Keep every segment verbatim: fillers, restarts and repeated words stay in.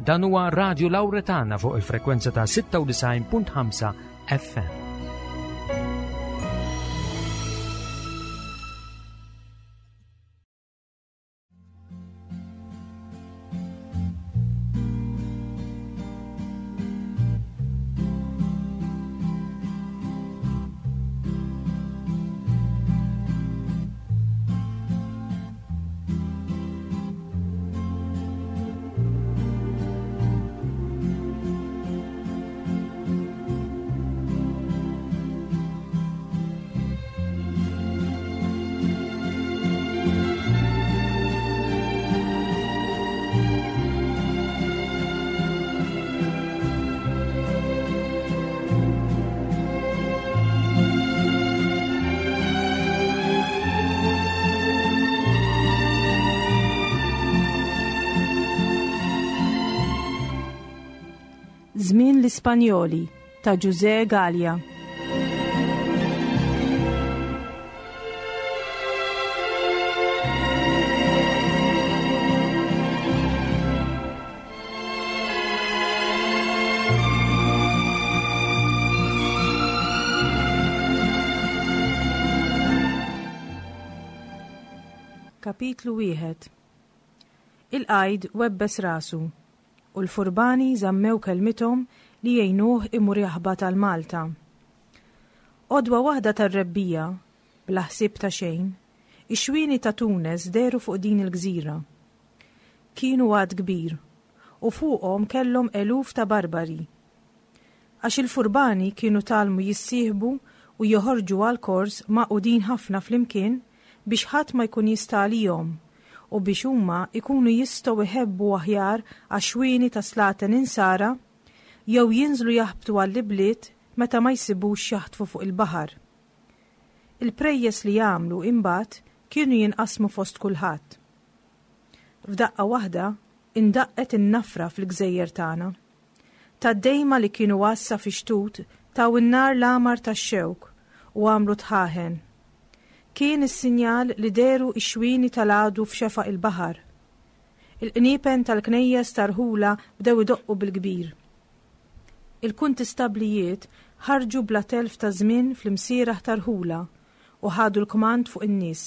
Dan huwa Radio Lauretana fuq il-frekwenza ta' sitta u disgħin punt ħamsa F M. Żmien l-Ispanjoli ta' Ġużè Galea. Kapitlu wieħed. Il-qajd webbes rasu u l-furbani żammew kelmithom li jgħinuh imur jaħbat għal Malta. Għodwa waħda tar-rebbija, bla ħsieb ta' xejn, ix-xwieni ta' Tunes dehru fuq din il-gżira. Kienu għadd kbir u fuqhom kellhom eluf ta' barbari. Għax il-furbani kienu tgħallmu jissieħbu u joħorġu għal kors magħqudin ħafna flimkien biex ħadd ma jkun jista' għalihom u biex huma ikunu jistgħu jħebbu aħjar għax-xwieni ta' slaten insara jew jinżlu jaħbtu għall-ibliet meta ma jsibux jaħtfu fuq il-baħar. Il-prejjes li jagħmlu imbagħad kienu jinqasmu fost kulħadd. F'daqqa waħda indaqqet in-nafra fil-gżejjer tagħna. Tad-dejma li kienu għassa fi xtut taw in-nar l-għamar tax-xewk u għamlu dħaħen. Kien is-sinjal li dehru ix-xwieni tal-għadu f'xefaq il-baħar. Il-qniepen tal-knejjes tar-rħula bdew idoqqu bil-kbir. Il-kuntistablijiet ħarġu bla telf ta' żmien fl-imsieraħ tar-rħula u ħadu l-kmand fuq in-nies.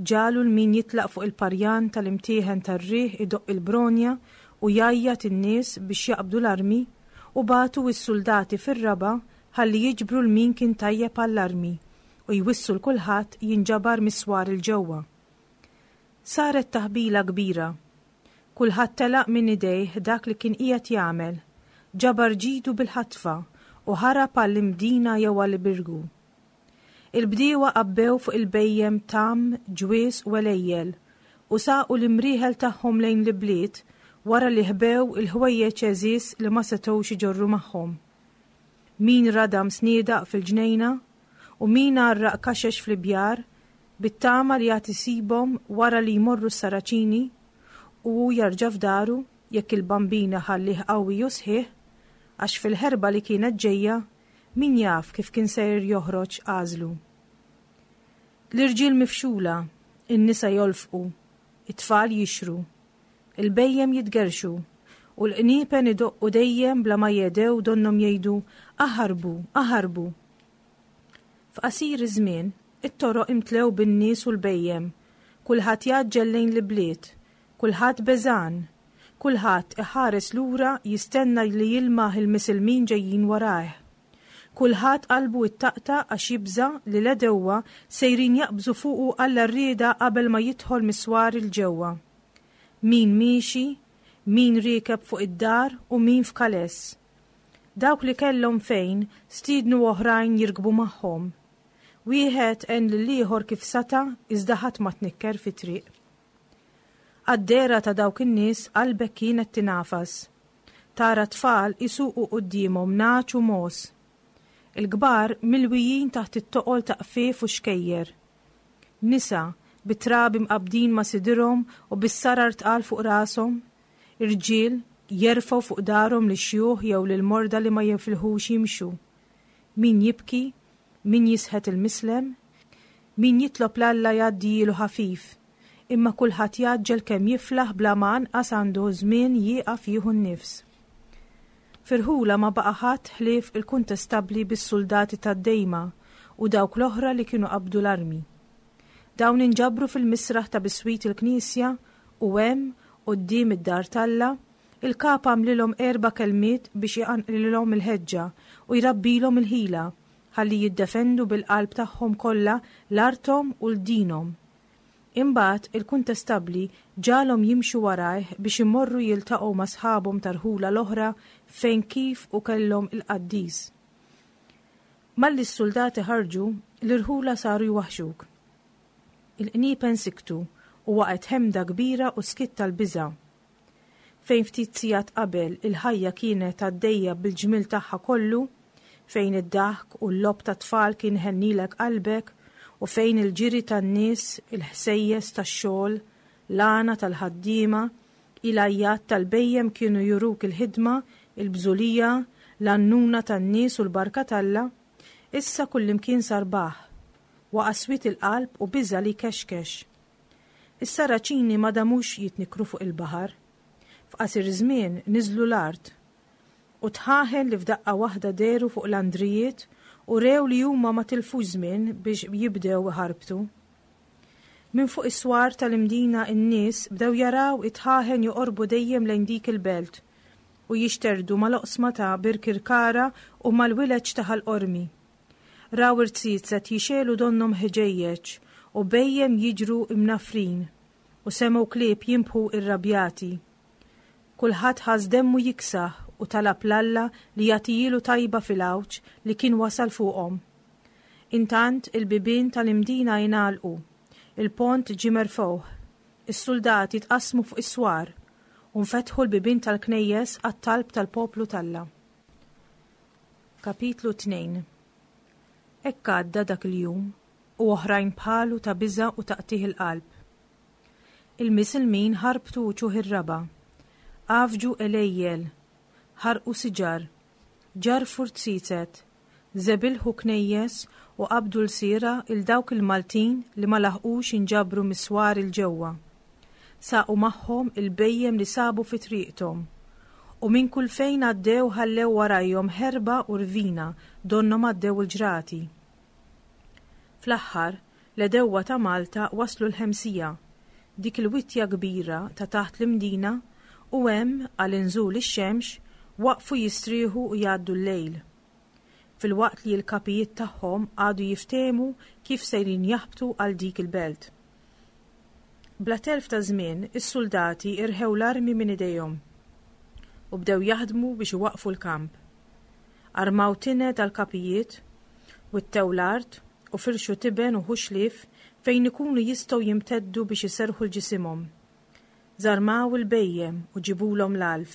Ġagħlu 'l min jitlaq fuq il-parjan tal-imtieħen tar-riħ idoqq il-bronja u jgħajjat in-nies biex jaqbdu l-armi u bagħtu s-soldati fir-raba' ħalli jiġbru 'l min kien tajjeb għall-armi u jwissu 'l kulħadd jinġabar mis-swar 'il ġewwa. Saret taħbila kbira. Kulħadd telaq minn idejh dak li kien qiegħed jagħmel, ġabar ġidu bil-ħatfa u ħarab għall-Imdina jew għall-Birgu. Il-bdiewa għabbew fuq il-bhejjem tgħam, ġwies u għelejjel u saqu l-imrieħel tagħhom lejn l-bliet wara li ħbew il-ħwejjeġ għeżież li ma setgħux iġorru magħhom. Min radam sniedaq fil-ġnejna u min għarraq kaxex fl-ibjar bit-tama li għad isibhom wara li jmorru s-Saraċini u hu jarġa' f'daru jekk il-Bambin iħallih qawwi u sħiħ, għax fil-ħerba li kienet ġejja min jaf kif kien sejr joħroġ għażlu. L-irġiel mifxula, in-nisa jolfqu, it-tfal jixru, il-bhejjem jitgerxu u l-qniepen idoqqu dejjem bla ma jehdew, donnhom jgħidu: "Aħarbu, aħarbu!" F'qasir iż-żmien, it-toroq imtlew bin-nies u l-bhejjem, kulħadd jgħaġġel lejn l-bliet, kulħadd beżgħan, kulħadd iħares lura jistenna li jilmaħ il-misilmin ġejjin warajh. Kulħadd qalbu ittaqta' għax jibża' li l-għedewwa sejrin jaqbżu fuqu għall-għarrieda qabel ma jidħol mis-swar 'il ġewwa. Min miexi, min riekeb fuq id-dar u min f'kaless. Dawk li kellhom fejn stiednu oħrajn jirkbu magħhom. Wieħed għen lil ieħor kif seta', iżda ħadd ma tnikker fit-triq. Għad-dehra ta' dawk in-nies qalbek kienet tingħafas. Tara tfal isuqu quddiemhom nagħaġ u mogħoż. Il-kbar milwijin taħt it-toqol ta' qfief u xkejjer. Nisa bit-trabi mqabbdin ma' sidirhom u bis-sarar tqal fuq rashom. Irġiel jerfgħu fuq daharhom lix-xjuħ jew lil morda li ma jifilħux jimxu. Min jibki, min jisħet il-mislem, min jitlob 'l Alla jgħaddilu ħafif, imma kulħadd jgħaġġel kemm jiflaħ bla ma anqas għandu żmien jieqaf jieħu n-nifs. F'irħula ma baqa' ħadd ħlief il-kuntestabbli bis-suldati tad-Dejma u dawk l-oħra li kienu qabdu l-armi. Dawn inġabru fil-misraħ ta' biswit il-knisja u hemm, quddiem id-dar t'Alla, il-kap għamlilhom erba' kelmiet biex iqanqlilhom il-ħeġġa u jrabbilhom il-ħila ħalli jiddefendu bil-qalb tagħhom kollha l-arthom u l-dinhom. Imbagħad il-kuntestabbli ġagħalhom jimxu warajh biex imorru jiltaqgħu ma' sħabhom tar-rħula l-oħra fejn kif u kellhom il-qaddis. Malli s-suldati ħarġu, l-irħula saru jwaħxuk. Il-qniepen siktu u waqgħet ħemda kbira u skiet tal-biża'. Fejn ftit sigħat qabel il-ħajja kienet għaddejja bil-ġmiel tagħha kollu, fejn id-daħk u l-logħob tat-tfal kien iħennilek qalbek u fejn il-ġiri tan-nies, il-ħsejjes tax-xogħol, l-għana tal-ħaddiema, il-għajjat tal-bhejjem kienu juruk il-ħidma, il-bżulija, l-għannuna tan-nies u l-barka t'Alla, issa kullimkien sar baħħ, waqa' swied il-qalb u biża' li jkexkex. Is-Saraċini ma damux jitnikkru fuq il-baħar. F'qasir żmien niżlu l-art u dħaħen li f'daqqa waħda dehru fuq l-andrijiet u rew li huma ma tilfux żmien biex jibdew iħarbtu. Minn fuq is-swar tal-Imdina n-nies bdew jaraw it-dħaħen joqorbu dejjem lejn dik il-belt u jixterdu mal-oqsma ta' Birkirkara u mal-wileġ ta' Ħal Qormi. Raw irziezet jixegħlu donnhom ħġejjeġ u bhejjem jiġru imnaffrin u semgħu klieb jinbħu irrabjati. Kulħadd ħass demmu jiksaħ u talab 'l Alla li jagħtihielu tajba fil-għawġ li kien wasal fuqhom. Intant il-bibien tal-Imdina ingħalqu, il-pont ġie merfugħ, is-suldati tqassmu fuq is-swar u nfetħu l-bibien tal-knejjes għat-talb tal-poplu t'Alla. Kapitlu tnejn. Hekk għadda dak il-jum u oħrajn bħalu ta' biża' u ta' qtigħ il-qalb. Il-misilmin ħarbtu uċuħ ir-raba', għafġu għelejjel, ħarqu siġar, ġarrfu rziezet, żebilħu knejjes u qabdu lsiera 'l dawk il-Maltin li ma laħqux inġabru mis-swar 'il ġewwa. Saqu magħhom il-bhejjem li sabu fi triqthom. U minn kull fejn għaddew ħallew warajhom ħerba u rvina donnhom għaddew il-ġrati. Fl-aħħar, l-għedewwa ta' Malta waslu l-Ħemsija, dik il-witja kbira ta' taħt l-Imdina, u hemm, għal inżul ix-xemx, waqfu jistrieħu u jgħaddu l-lejl. Filwaqt li l-kapijiet tagħhom qagħdu jiftehmu kif sejrin jaħbtu għal dik il-belt. Bla telf ta' żmien, is-suldati irħew l-armi minn idejhom u bdew jaħdmu biex iwaqqfu l-kamp. Armaw tined għall-kapijiet, wittew l-art u firxu tiben u ħuxlief fejn ikunu jistgħu jimteddu biex iserrħu l-ġisimhom. Żarmaw il-bhejjem u ġibulhom l-għalf.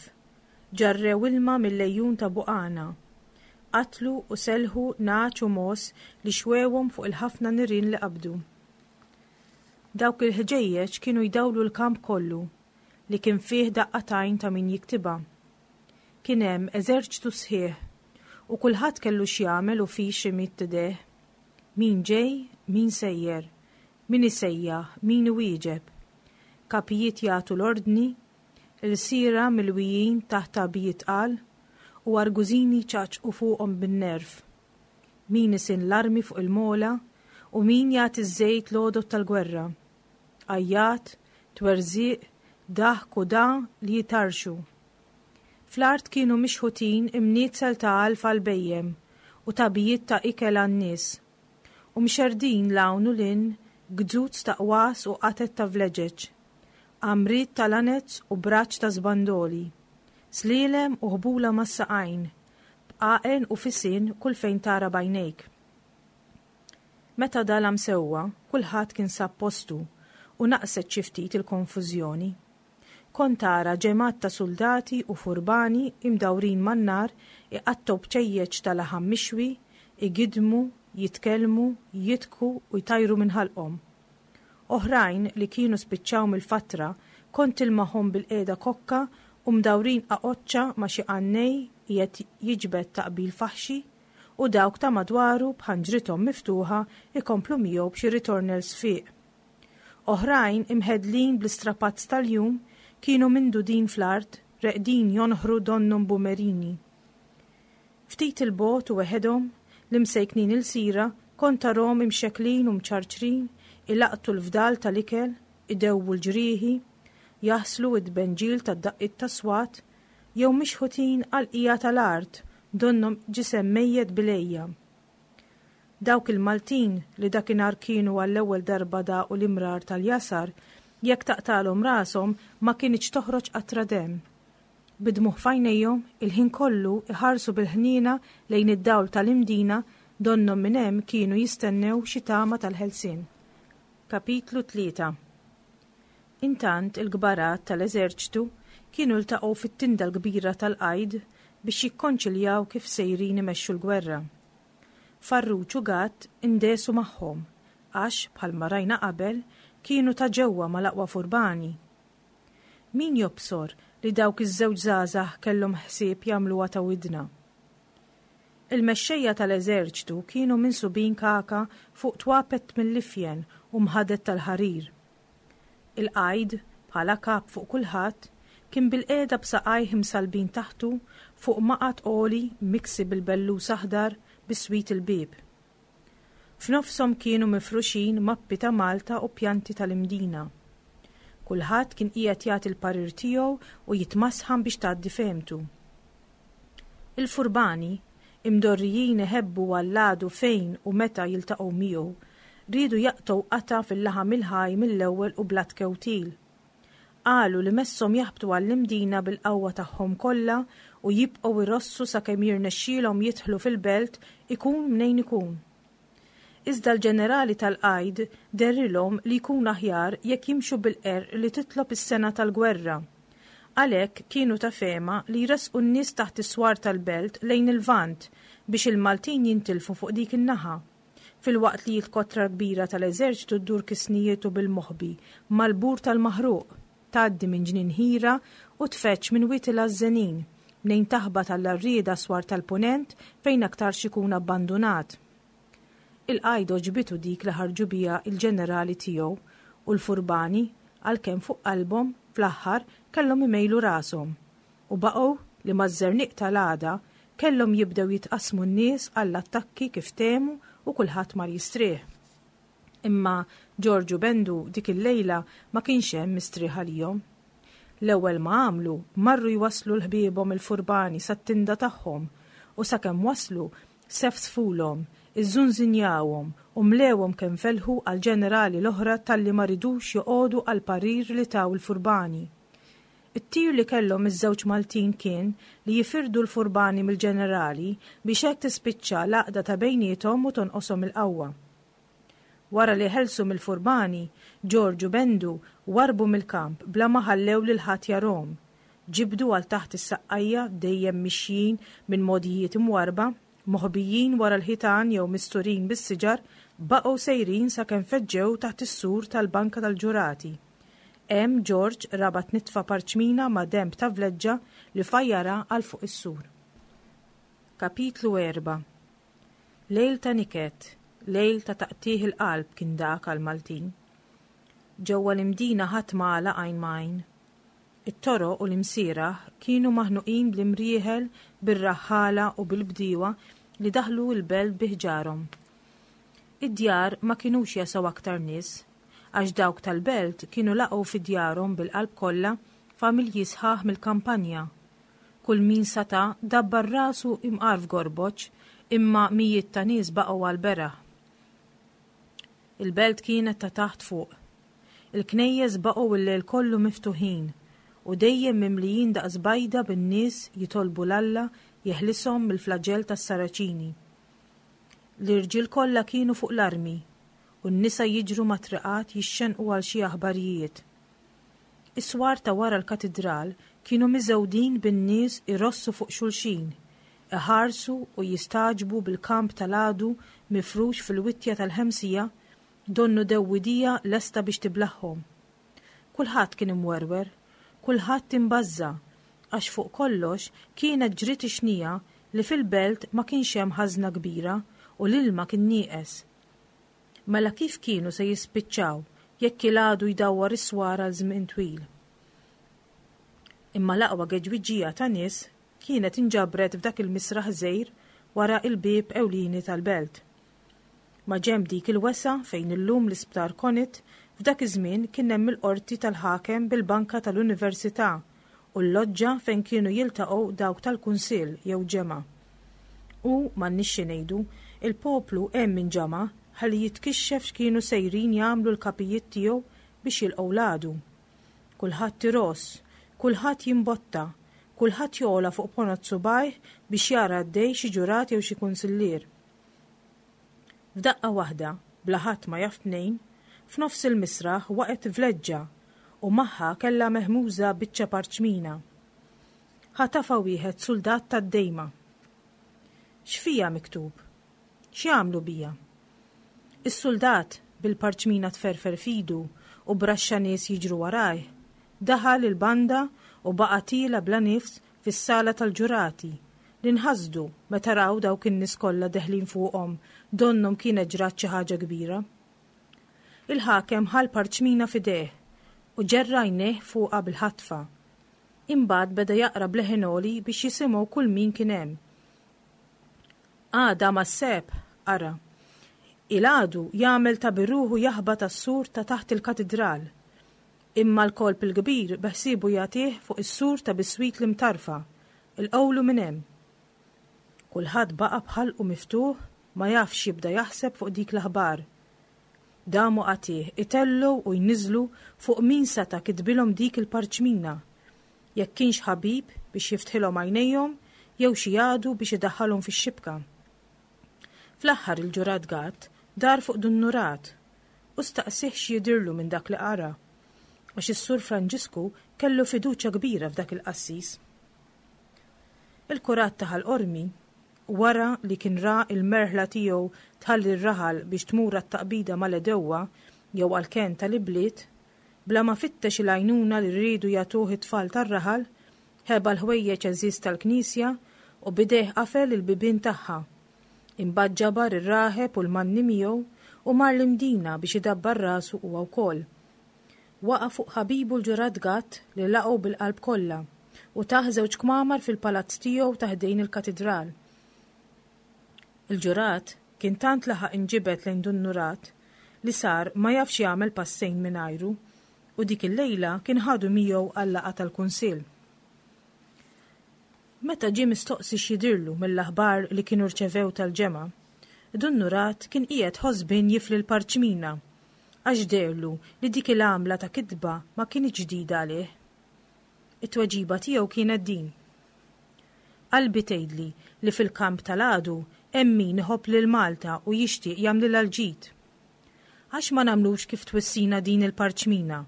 Ġarrew ilma mill-għejun ta' Buqana. Qatlu u selħu nagħaġ u mogħoż li xwewhom fuq il-ħafna nirien li qabdu. Dawk il-ħġejjeġ kienu jdawlu l-kamp kollu li kien fih daqqa t'għajn ta' min jiktibha. Kien hemm eżerċtu sħiħ u kulħadd kellu x'jagħmel u fiex imidd idejh. Min ġej, min sejjer, min isejjaħ, min iwieġeb. Kapijiet jagħtu l-ordni, ilsiera milwijin taħt tagħbijiet tqal u argużini jċaqċqu fuqhom bin-nerv. Min isinn l-armi fuq il-mola u min jagħti ż-żejt l-għodod tal-gwerra. Għajjat, twerżiq, daħk u da li jitarxu. Fl-art kienu mixħutin imnietzel ta' għalf għall-bhejjem u tagħbijiet ta' ikel għan-nies, u mxerrdin 'l hawn u 'l hinn gzuz ta' qwas u qatet ta' vleġeġ, għamriet ta' lanez u braċ ta' żbandoli, slielem u ħbula mas-saqajn, bqaqen u fisien kull fejn tara b'għajnejk. Meta dalam sewwa, kulħadd kien sab postu u naqset xi ftit il-konfużjoni. Kont tara ġemgħat ta' suldati u furbani imdawrin man-nar iqattgħu bċejjeċ ta' laħam mixwi, igidmu, jitkellmu, jidħku u jtajru minn ħalqhom. Oħrajn li kienu spiċċaw mill-fatra kont tilmaħhom bil-qiegħda kokka u mdawrin qaqoċċa ma' xi qannej qiegħed jiġbed taqbil faħxi u dawk ta' madwaru b'ħanġrithom miftuħa ikomplu miegħu b'xi ritornell sfiq. Oħrajn, imħedlin bl-istrapazz tal-jum, kienu mindudin fl-art, reqdin jonħru donnhom bumerini. Ftit 'il bogħod u weħedhom, l-imsejknin ilsira, kont tarahom imxekklin u mċarċrin, ilaqqtu l-fdal tal-ikel, idewwu l-ġrieħi, jaħslu id-benġil tad-daqqiet tas-swat, jew mixħutin għall-qiegħa tal-art donnhom ġisem mejjet bil-għeja. Dawk il-Maltin li dakinhar kienu għall-ewwel darba daqu l-imrar tal-jasar, jekk taqtalhom rashom ma kinitx toħroġ qatra demm. Bid-dmugħ f'għajnejhom, il-ħin kollu iħarsu bil-ħniena lejn id-dawl tal-Imdina donnhom minn hemm kienu jistennew xi tama tal-ħelsien. Kapitlu tlieta. Intant il-kbarat tal-eżerċtu kienu ltaqgħu fit-tinda l-kbira tal-qajd biex jikkonċiljaw kif sejrin imexxu l-gwerra. Farruġ u Gatt indesu magħhom għax, bħalma rajna qabel, kienu ta' ġewwa mal-aqwa furbani. Min jobsor li dawk iż-żewġ żgħażagħ kellhom ħsieb jagħmluha ta' widna? Il-mexxejja tal-eżerċtu kienu minsubin kaka fuq twapet mill-ifjen u mħaded tal-ħarir. Il-qajd, bħala kap fuq kulħadd, kien bilqiegħda b'saqajh imsallbin taħtu fuq maqgħad għoli miksi bil-bellus aħdar biswit il-bieb. F'nofshom kienu mifruxin mappi ta' Malta u pjanti tal-Imdina. Kulħadd kien qiegħed jagħti l-parir tiegħu u jitmasħan biex tgħaddi fehmtu. Il-furbani, imdorrijin iħebbu għall-għadu fejn u meta jiltaqgħu miegħu, riedu jaqtgħu qatgħa fil-laħam il-ħaj mill-ewwel u bla tkewtil. Qalu li messhom jaħbtu għall-Imdina bil-qawwa tagħhom kollha u jibqgħu jrossu sakemm jirnexxielhom jidħlu fil-belt ikun mnejn ikun. Iżda l-ġenerali tal-qajd dehrilhom li jkun aħjar jekk jimxu bil-qerq li titlob is-sengħa tal-gwerra. Għalhekk kienu ta' fehma li jressqu n-nies taħt is-swar tal-belt lejn il-Lvant biex il-Maltin jintilfu fuq dik in-naħa, filwaqt li l-kotra kbira tal-eżerċtu ddur kisnijietu bil-moħbi mal-bur tal-Maħruq, tgħaddi minn Ġnien Ħira u tfeġġ minn Wied il-Għażżenin, mnejn taħbat għall-għarrieda swar tal-Punent fejn aktarx ikun abbandunat. Il-qajd għoġbitu dik li ħarġu biha l-ġenerali tiegħu u l-furbani, għalkemm fuq qalbhom, fl-aħħar kellhom imejlu rashom u baqgħu li maż-żerniq tal-għada kellhom jibdew jitqassmu n-nies għall-attakki kif ftehmu u kulħadd mar jistrieħ. Imma Ġorġ u Bendu dik il-lejla ma kienx hemm mistrieħ għalihom. L-ewwel ma għamlu marru jwasslu l-ħbiebhom il-furbani sat-tinda tagħhom u sakemm waslu sefsfulhom, iżżunżinjawhom u mlewhom kemm felħu għall-ġenerali l-oħra talli ma ridux joqogħdu għall-parir li taw il-furbani. It-tir li kellhom iż-żewġ Maltin kien li jifirdu l-furbani mill-ġenerali biex hekk tispiċċa l-għaqda ta' bejniethom u tonqoshom il-qawwa. Wara li ħelsu mill-furbani, Ġorġ u Bendu warrbu mill-kamp bla ma ħallew lil ħadd jarahom. Ġibdu għal taħt is-saqqajja dejjem mixjin minn mogħdijiet imwarrba, moħbijin wara l-ħitan jew misturin bis-siġar, baqgħu sejrin sakemm feġġew taħt is-sur tal-Banka tal-Ġurati. Hemm Ġorġ rabat nitfa parċmina ma' denb ta' vleġġa li fajjarha għal fuq is-sur. Kapitlu erbgħa. Lejl ta' niket, lejl ta' taqtigħ il-qalb kien dak għall-Maltin. Ġewwa l-Imdina ħadd ma għalaq għajn ma' għajn. It-toroq u l-imsieraħ kienu maħnuqin bl-imrieħel, bir-raħħala u bil-bdiewa li daħlu l-belt bi ħġarhom. Id-djar ma kinux jesgħu aktar nies, għax dawk tal-belt kienu laqgħu fi djarhom bil-qalb kollha familji sħaħ mill-kampanja. Kull min sata' dabbar rasu imqar f'gorboċ, imma mijiet ta' nies baqgħu għall-beraħ. Il-belt kienet ta' taħt fuq. Il-knejjes baqgħu l-lejl kollu miftuħin u dejjem mimlijin daqs bajda bin-nies jitolbu 'l Alla jeħlishom mill-flaġell tas-Saraċini. L-irġiel kollha kienu fuq l-armi u n-nisa jiġru mat-triqat jixxennqu għal xi aħbarijiet. Is-swar ta' wara l-katidral kienu miżgħudin bin-nies irossu fuq xulxin, iħarsu u jistagħġbu bil-kamp tal-għadu mifrux fil-wittja tal-Ħemsija donnu dewwidija lesta biex tiblaħħom. Kulħadd kien imwerwer, kulħadd imbażża', għax fuq kollox kienet ġriet ix-xnija li fil-belt ma kienx hemm ħażna kbira u l-ilma kien nieqes. Mela kif kienu se jispiċċaw jekk il-għadu jdawwar is-swar għal żmien twil. Imma l-aqwa geġwiġija ta' nies kienet inġabret f'dak il-misraħ żgħir wara il-bieb ewlieni tal-belt. Ma ġenb dik il-wesgħa fejn illum l-isptar Conit, f'dak iż-żmien kien hemm il-qorti tal-ħakem bil-banka tal-università u l-loġġa fejn kienu jiltaqgħu dawk tal-kunsill jew ġemgħa. U m'għandniex xi ngħidu, il-poplu hemm inġama' ħalli jitkixxef x'kienu sejrin jagħmlu l-kapijiet tiegħu biex jilqgħu l-għadu. Kulħadd iross, kulħadd jimbotta, kulħadd jogħla fuq ponot subgħajh biex jara għaddej xi ġurat jew xi kunsillier. F'daqqa waħda, bla ħadd ma jaf mnejn, f'nofs il-misraħ waqgħet vleġġa u magħha kellha mehmuża biċċa parċmina. Ħatafha wieħed suldat tad-dejma. X'fiha miktub? X'jagħmlu bija? Is-suldat, bil-parċmina tferfer f'idu u b'raxxa nies jiġru warajh, daħal il-banda u baqa' tiela' bla nifs fis-sala tal-ġurati li nħasdu meta raw dawk in-nies kollha deħlin fuqhom donnhom kienet ġrat xi ħaġa kbira. Il-ħakem ħa l-parċmina f'idejh u ġerra għajnejh fuqha bil-ħatfa. Imbagħad beda jaqra b'leħen għoli biex jisimgħu kull min kien hemm. Għada mas-sebħ, qara. Il-għadu jagħmel ta' bir-ruħu jaħbat għas-sur ta' taħt il-katidral. Imma l-kolp il-kbir beħsiebu jagħtih fuq is-sur ta' biswit l-Imtarfa, ilqgħulu minn hemm. Kulħadd baqa' b'ħalqu miftuħ ma jafx x'jibda jaħseb fuq dik l-aħbar. Damu qatigħ itellgħu u jniżżlu fuq min seta' kitbilhom dik il-parċmina, jekk kienx ħabib biex jiftħilhom għajnejhom jew xi għadu biex idaħħalhom fix-xibka. Fl-aħħar il-ġurat Gatt dar fuq Dun Nurat u staqsih x'jidhirlu minn dak li qara, għax is-Sur Franġisku kellu fiduċja kbira f'dak il-qassis. Il-kurat ta' Ħal Qormi, wara li kien ra l-merħla tiegħu tħalli r-raħal biex tmur għat-taqbida mal-għedewwa jew għall-kenn tal-ibliet, bla ma fittex il-għajnuna li riedu jagħtuh it-tfal tar-raħal, ħeba l-ħwejjeġ għeżież tal-knisja u b'idejh qafel il-bibien tagħha. Imbagħad ġabar ir-raħeb u l-manni miegħu u mar l-Imdina biex idabbar rasu huwa wkoll. Waqa' fuq ħabibu l-ġurat Gatt li laqgħu bil-qalb kollha u tah żewġ kmamar fil-palazz tiegħu ta' ħdejn il-katidral. Il-ġurat kien tant laħaq inġibed lejn Dun Nurat li sar ma jafx jagħmel passejn mingħajru u dik il-lejla kien ħadu miegħu għal-laqgħa tal-kunsill. Meta ġie mistoqsi x'jidhirlu mill-aħbar li kienu rċevew tal-ġemgħa, Dun Nurat kien qiegħed ħosbien jifli l-parċmina għax dehrlu li dik il-għamla ta' kitba ma kinitx ġdida għalih. It-tweġiba tiegħu kienet din. Qalbi tgħidli li fil-kamp tal-għadu hemm min iħobb lil Malta u jixtieq jagħmlilha l-ġid. Għax ma nagħmlux kif twissina din il-parċmina,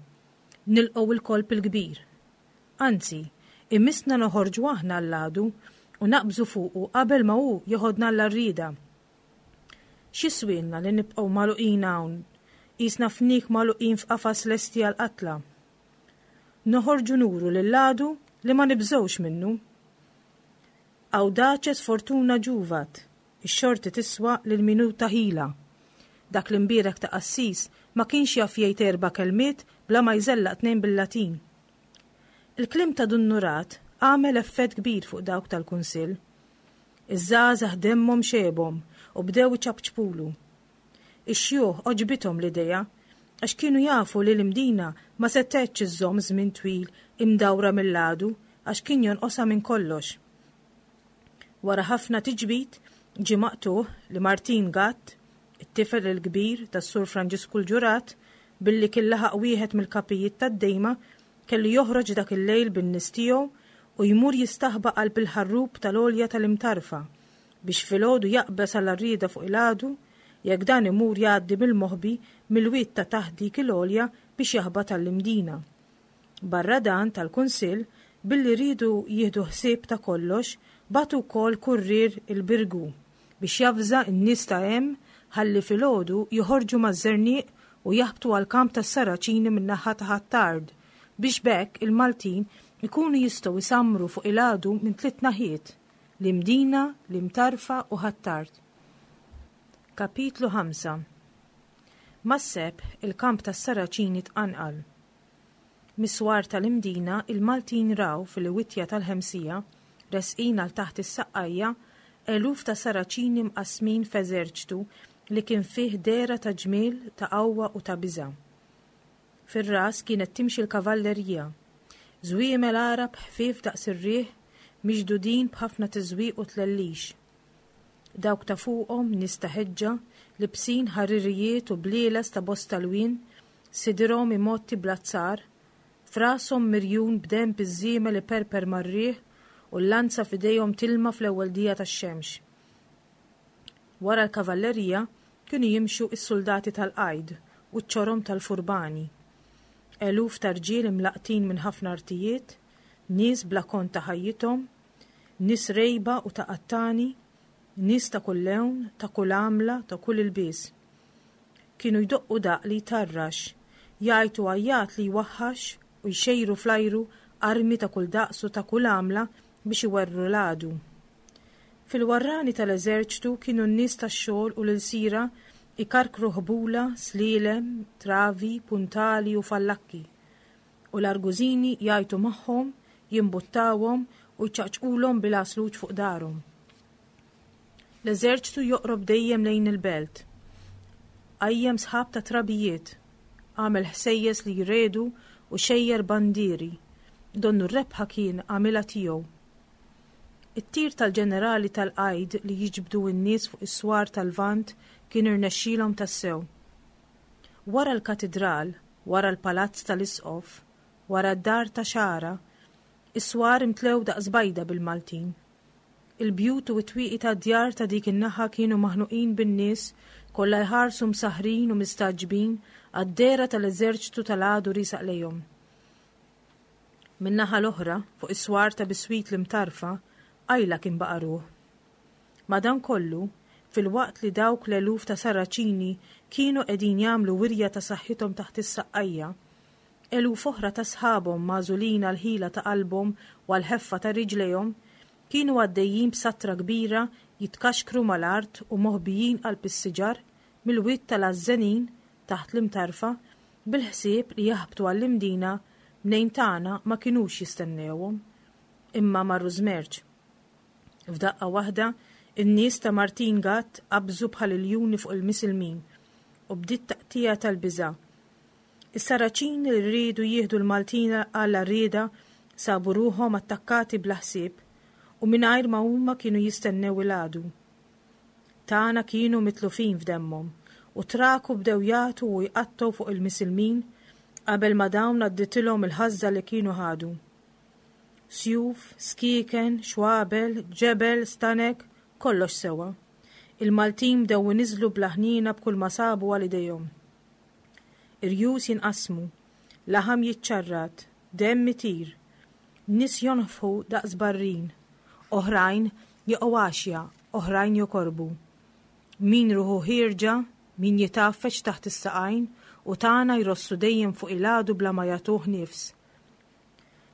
nilqgħu il-kolp il-kbir. Anzi, imissna noħorġu aħna għall-għadu u naqbżu fuqu qabel ma hu jeħodna għall-għarrieda. X'jiswielna li nibqgħu magħluqin hawn, qisna fniek magħluqin f'qafas lesti għall-qatla? Noħorġu nuru lill-għadu li ma nibżgħux minnu. Audaces fortuna juvat, ix-xorti tiswa lil min hu ta' ħila. Dak l-imbierek ta' qassis ma kienx jaf jgħid erba' kelmiet bla ma jżellaq tnejn bil-Latin. Il-kliem ta' Dun Nurat għamel effett kbir fuq dawk tal-kunsill. Iż-żgħażagħ demmhom xebhom u bdew iċapċpulu. Ix-xjuħ għoġbithom l-idea għax kienu jafu li l-Imdina ma setgħetx iżżomm żmien twil imdawra mill-għadu għax kien jonqosha minn kollox. Wara ħafna tiġbid ġie maqtugħ li Martin Gatt, it-tifel il-kbir tas-Sur Franġisku l-Ġurat, billi kien laħaq wieħed mill-kapijiet tad-dejma, kellu joħroġ dak il-lejl bin-nies tiegħu u jmur jistaħba qalb il-ħarrub tal-għolja tal-Imtarfa biex filgħodu jaqbeż għall-għarrieda fuq il-għadu jekk dan imur jgħaddi bil-moħbi mill-wied ta' taħt dik il-għolja biex jaħbat għall-Imdina. Barra dan, tal-Kunsill, billi riedu jieħdu ħsieb ta' kollox, bagħtu wkoll kurrier il-Birgu biex javża n-nies ta' hemm ħalli filgħodu joħorġu maż-żerniq u jaħbtu għall-kamp tas-Saraċini min-naħa ta' Ħ'Attard biex b'hekk il-Maltin ikunu jistgħu jsammru fuq il-għadu minn tliet naħiet, l-Imdina, l-Imtarfa u Ħ'Attard. Kapitlu ħamsa. Mas-sebħ il-kamp tas-Saraċini tqanqal. Mis-swar tal-Imdina il-Maltin raw fil-witja tal-Ħemsija, resqin għal taħt is-Saqqajja, eluf ta' Saraċini mqassmin f'eżerċtu li kien fih dehra ta' ġmiel, ta' qawwa u ta' biża'. Fir-ras kienet timxi l-kavallerija, żwiemel Għarab ħfief daqs ir-riħ, miġdudin b'ħafna tiżwiq u tlellix. Dawk ta' fuqhom nies ta' ħeġġa, libsin ħaririjiet u blieles ta' bosta lwien, sidirhom imgħotti bl-azzar, f'rashom mirjun b'denb iż-żiemel iperper mar-riħ u l-lanza f'idejhom tilma fl-ewwel dija tax-xemx. Wara l-kavallerija kienu jimxu s-suldati tal-qajd u ċ-ċorom tal-furbani. Eluf ta' rġiel imlaqqtin minn ħafna artijiet, nies bla kont ta' ħajjithom, nies rejba u ta' qattani, nies ta' kull lewn, ta' kull għamla, ta' kull ilbies. Kienu jdoqqu daqq li jtarrax, jgħajtu għajjat li jwaħħax u jxejru fl-ajru armi ta' kull daqs u ta' kull għamla biex iwerwru l-għadu. Fil-warrani tal-eżerċtu kienu n-nies tax-xogħol u l-ilsira ikarkru ħbula, slielem, travi, puntali u fallakki. U l-argużini jgħajtu magħhom, jimbuttawhom u jċaqċqulhom bil-għasluġ fuq darhom. L-eżerċtu joqrob dejjem lejn il-belt. Qajjem sħab ta' trabijiet, għamel ħsejjes li jredu u xejjer bandieri, donnu r-rebħa kien għamilha tiegħu. It-tir tal-ġenerali tal-qajd li jiġbdu n-nies fuq is-swar tal-Lvant kien irnexxielhom tassew. Wara l-katidral, wara l-palazz tal-isqof, wara d-dar ta' Xara, is-swar imtlew daqs bajda bil-Maltin. Il-bjut u t-twieqi tad-djar ta' dik in-naħa kienu maħnuqin bin-nies kollha jħarsu msaħrin u mistagħġbin għad-dehra tal-eżerċtu tal-għadu riesaq lejhom. Min-naħa l-oħra, fuq is-swar ta' biswit l-Imtarfa, qajla kien baqa' ruħ. Madankollu, filwaqt li dawk l-eluf ta' Saraċini kienu qegħdin jagħmlu wirja ta' saħħithom taħt is-saqqajja, eluf oħra ta' sħabhom magħżulin għall-ħila ta' qalbhom u għall-ħeffa ta' riġlejhom kienu għaddejjin b'satra kbira jitkaxkru mal-art u moħbijin qalb is-siġar mill-wied tal-Għażżenin taħt l-Imtarfa bil-ħsieb li jaħbtu għall-Imdina mnejn tagħna ma kinux jistennewhom, imma marru żmerċ. F'daqqa waħda, in-nies ta' Martin Gatt qabżu bħal iljuni fuq il-misilmin u bdiet taqtija tal-biża'. Is-Saraċini li riedu jieħdu l-Maltin għal għarrieda sabu ruħhom attakkati bla ħsieb u mingħajr ma huma kienu jistennew il-għadu. Tagħna kienu mitlufin f'demmhom u traku bdew jagħtu u jqattgħu fuq il-misilmin qabel ma dawn għadditilhom il-ħażża li kienu ħadu. Sjuf, skieken, xwabel, ġebel, stanek, kollox sewa. Il-Maltin bdew iniżlu bla ħniena b'kull ma sabu għal idejhom. Irjus jinqasmu, laħam jiċċarrat, demm itir, nies jonfħu daqs barrin, oħrajn jaqgħu għaxja, oħrajn jokorbu. Min ruħu ħierġa, min jitgħaffeġ taħt is-saqajn u tagħna jrossu dejjem fuq il-għadu bla ma jagħtuh nifs.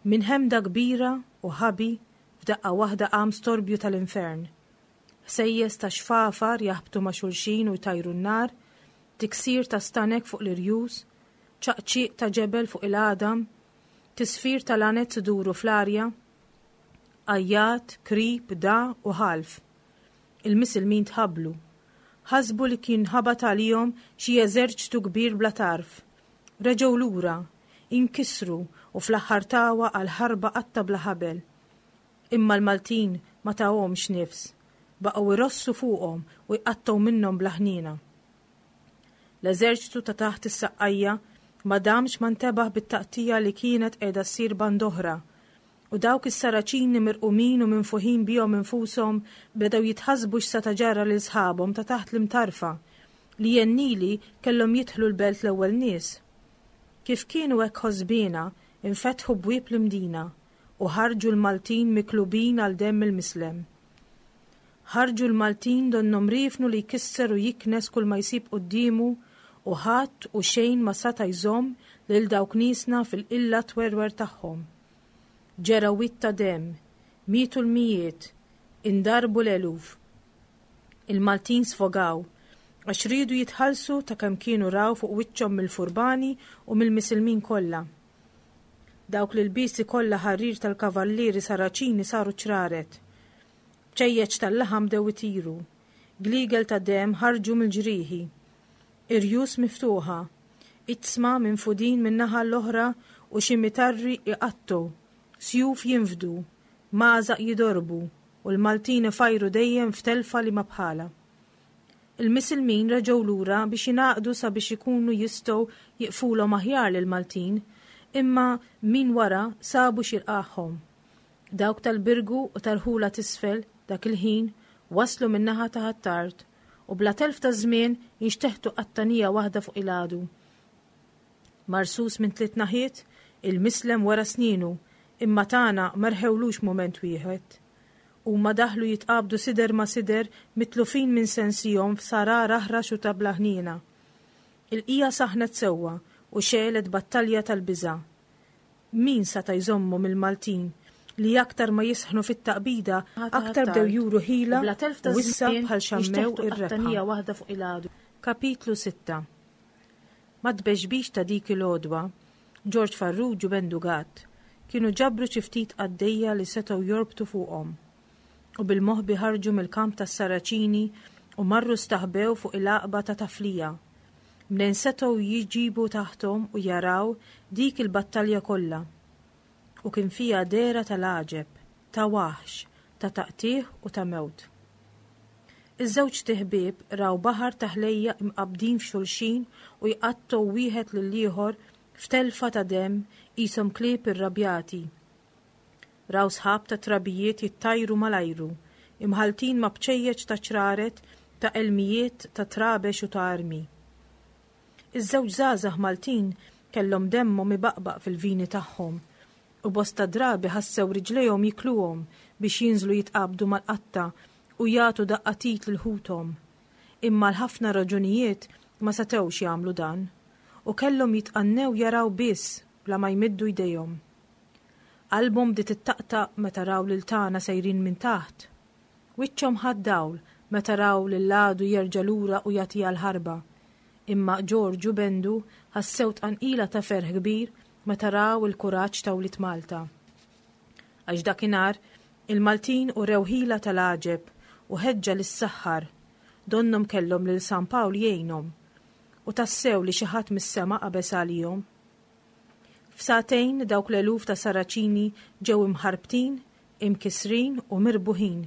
Minn ħemda kbira u ħabi f'daqqa waħda qam storbju tal-infern. Ħsejjes ta' xfafar jaħbtu ma' xulxin u jtajru n-nar, tiksir ta' stanek fuq l-irjus, ċaqċiq ta' ġebel fuq il-għadam, tisfir ta' lanez iduru fl-arja, għajjat, krib, da u ħalf. Il-misilmin tħabblu. Ħasbu li kien ħabat għalihom xi eżerċtu kbir bla tarf. Reġgħu lura, inkisru u fl-aħħar tawa għal ħarba qatta bla ħabel. Imma l-Maltin ma tawhomx nifs, baqgħu irossu fuqhom u jqattgħu minnhom bla ħniena. L-eżerċtu ta' taħt is-saqqajja ma damx ma ntebaħ bit-taqtija li kienet qiegħda ssir band'oħra, u dawk is-Saraċini mirqumin u minfuħin bihom infushom bedew jitħassbu x'seta' ġara lil sħabhom ta' taħt l-Imtarfa li jennili kellhom jidħlu l-belt l-ewwel nies. Kif kienu hekk ħosbiena, infetħu bwieb l-Imdina u ħarġu l-Maltin miklubin għal demm il-mislem. Ħarġu l-Maltin donnhom riefnu li jkisser u jiknes kull ma jsib quddiemu u ħadd u xejn ma sata' jżomm lil dawk niesna fil-qilla twerwer tagħhom. Ġera wied ta' demm, mietu l-mijiet, indarbu l-eluf. Il-Maltin sfogaw, għax riedu jitħallsu ta' kemm kienu raw fuq wiċċhom mill-furbani u mill-misilmin kollha. Dawk l-ilbiesi kollha ħarir tal-kavallieri Saraċini saru ċraret. Bċejjeċ tal-laħam bdew itiru. Gliegel ta' demm ħarġu mill-ġrieħi. Irjus miftuħa. Iġsma minfudin min-naħa l-oħra u xi mitarri iqattgħu. Sjuf jinfdu. Magħżaq jidorbu u l-Maltin ifajru dejjem f'telfa li ma bħalha. Il-Misilmin reġgħu lura biex jingħaqdu sabiex ikunu jistgħu jiqfulhom aħjar lill-Maltin, imma min wara sabu x'jilqagħhom. Dawk tal-Birgu u tal-Ħula t'Isfel dak il-ħin waslu min-naħa ta' Ħ'Attard u bla telf ta' żmien inxteħtu qattanija waħda fuq il-għadu. Marsus minn tliet naħiet, il-Mislem wera snienu, imma tagħna ma rħewlux mument wieħed. Huma daħlu jitqabdu sider ma' sider mitlufin minn sensihom f'sarar aħrax u ta' bla ħniena. Il-qija saħnet sewwa u xegħlet battalja tal-biża'. Min seta' jżommhom il-Maltin li aktar ma jisħnu fit-taqbida aktar bdew juru ħila u issa bħal xammew ir-rebħa. Kapitlu sitta. Mat-tbexbix ta' dik il-għodwa, Ġorġ Farrugia u Bendu Gatt kienu ġabru xi ftit qaddejja li setgħu jorbtu fuqhom. U bil-moħbi ħarġu mill-kamp tas-Saraċini u marru staħbew fuq il-għaqba ta' Taflija. Mnejn setgħu jiġibu taħthom u jaraw dik il-battalja kollha. U kien fiha dehra tal-għaġeb, ta' waħx, ta' taqtigħ u ta' mewt. Iż-żewġ tiħbieb raw baħar ta' ħlejjaq imqabbdin f'xulxin u jqattgħu wieħed lill-ieħor f'telfa ta' demm qishom klieb irrabjati. Raw sħab ta' trabijiet jittajru mal-ajru, imħalltin ma' bċejjeċ ta' ċraret, ta' elmijiet, ta' trabex u ta' armi. Iż-żewġ żgħażagħ Maltin kellhom demmhom ibaqbaq fil-vini tagħhom u bosta drabi ħassew riġlejhom jikluhom biex jinżlu jitqabdu mal-qatta u jagħtu daqqa t'id lil ħuthom. Imma l-ħafna raġunijiet ma setgħux jagħmlu dan u kellhom jitqannew jaraw biss bla ma jmiddu jdejhom. Qalbhom bdiet ittaqtaq meta raw lil tagħna sejrin minn taħt. Wiċċhom ħa dawl meta raw lil għadu jerġa' lura u jagħtiha l-ħarba. Imma Ġorġ u Bendu ħassew tqanqila ta' ferħ kbir meta raw il-kuraġġ ta' wlied Malta. Għax dakinhar il-Maltin urew ħila tal-għaġeb u ħeġġa lis-saħħar, donnhom kellhom lil San Pawl jgħinhom, u tassew li xi ħadd mis-sema qabeż għalihom. F'sagħtejn dawk l-eluf ta' Saraċini ġew imħarbtin, imkisrin u mirbuħin.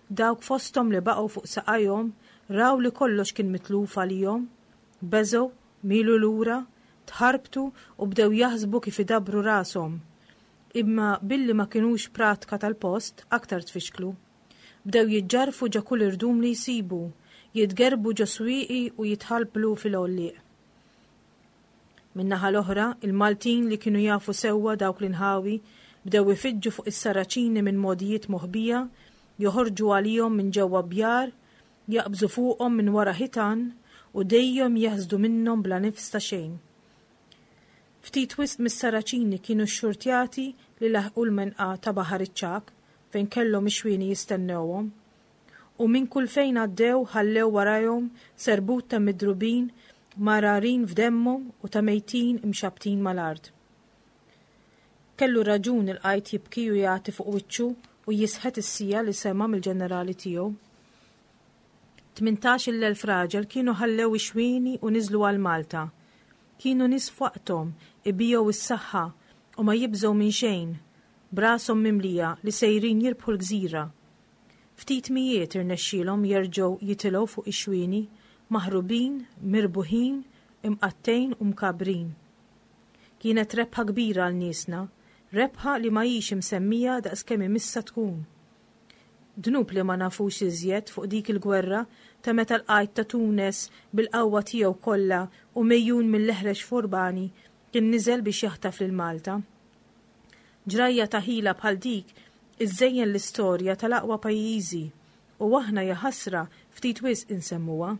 Dawk fosthom li baqgħu fuq saqajhom raw li kollox kien mitluf għalihom, beżgħu, milu lura, tħarbtu u bdew jaħsbu kif idabbru rashom. Imma billi ma kinux pratka tal-post, aktar tfixklu. Bdew jiġġarfu ġo kull irdum li jsibu, jitgerbu ġo swieqi u jitħalblu fil-għollieq. Min-naħa l-oħra, il-Maltin li kienu jafu sewwa dawk l-inħawi bdew ifiġġu fuq is-Saraċini minn mogħdijiet moħbija, joħorġu għalihom minn ġewwa bjar, jaqbżu fuqhom minn wara ħitan u dejjem jeħżdu minnhom bla nifs ta' xejn. Ftit wisq mis-Saraċini kienu xxurtjati li laħqu l-menqa ta' Baħar iċ-Ċagħak fejn kellhom ix-xwieni jistennewhom. U minn kull fejn għaddew ħallew warajhom serbut ta' midrubin mararin f'demmhom u ta' mejtin imxabtin mal-art. Kellu raġun il-qajt jibki u jagħti fuq wiċċu u jisħet is-sija li sema' mill-ġenerali tiegħu. Tmintax-il elf raġel kienu ħallew ix-xwieni u niżlu għal Malta. Kienu nies f'waqthom, ibigħu s-saħħa u ma jibżgħu minn xejn, brashom mimlija li sejrin jirbħu l-gżira. Ftit mijiet irnexxielhom jerġgħu jitilgħu fuq ix-xwieni, maħrubin, mirbuħin, imqattejn u mkabrin. Kienet rebħa kbira għal niesna, rebħa li ma hix imsemmija daqskemm imissa tkun. Dnub li ma nafux iżjed fuq dik il-gwerra ta' meta l-qajt ta' Tunes bil-qawwa tiegħu kollha u mejjun mill-eħrex furbani kien niżel biex jaħtaf lil Malta. Ġrajja ta' ħila bħal dik iżżejjen l-istorja tal-aqwa pajjiżi u aħna jaħasra ftit wisq insemmuha.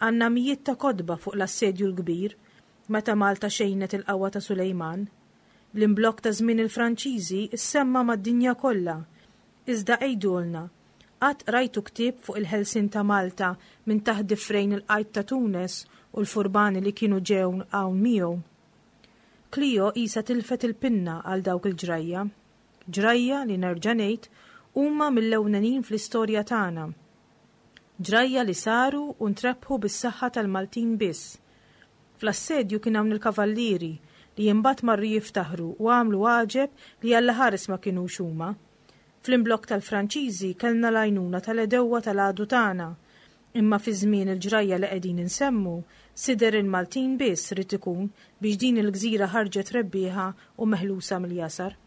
Għandna mijiet ta' kotba fuq l-assedju l-kbir meta Malta xejnet il-qawwa ta' Sulejman. L-imblokk ta' żmien il-Franċiżi issemma mad-dinja kollha. Iżda għidulna, Qatt qrajtu ktieb fuq il-ħelsien ta' Malta minn taħt difrejn il-qajt ta' Tunes u l-furbani li kienu ġew hawn miegħu? Klio qisha tilfet il-pinna għal dawk il-ġrajja. Ġrajja li nerġa' ngħid huma mill-ewlenin fl-istorja tagħna. Ġrajja li saru u ntrebħu bis-saħħa tal-Maltin biss. Fl-assedju kien hawn il-kavallieri li imbagħad marru jiftaħru u għamlu għaġeb li Alla ħares ma kinux huma. Fl-imblokk tal-Franċiżi kellna l-għajnuna tal-għedewwa tal-għadu tagħna. Imma fi żmien il-ġrajja li qegħdin insemmu, sider il-Maltin biss ried ikun biex din il-gżira ħarġet rebbieħa u meħlusa mill-jasar.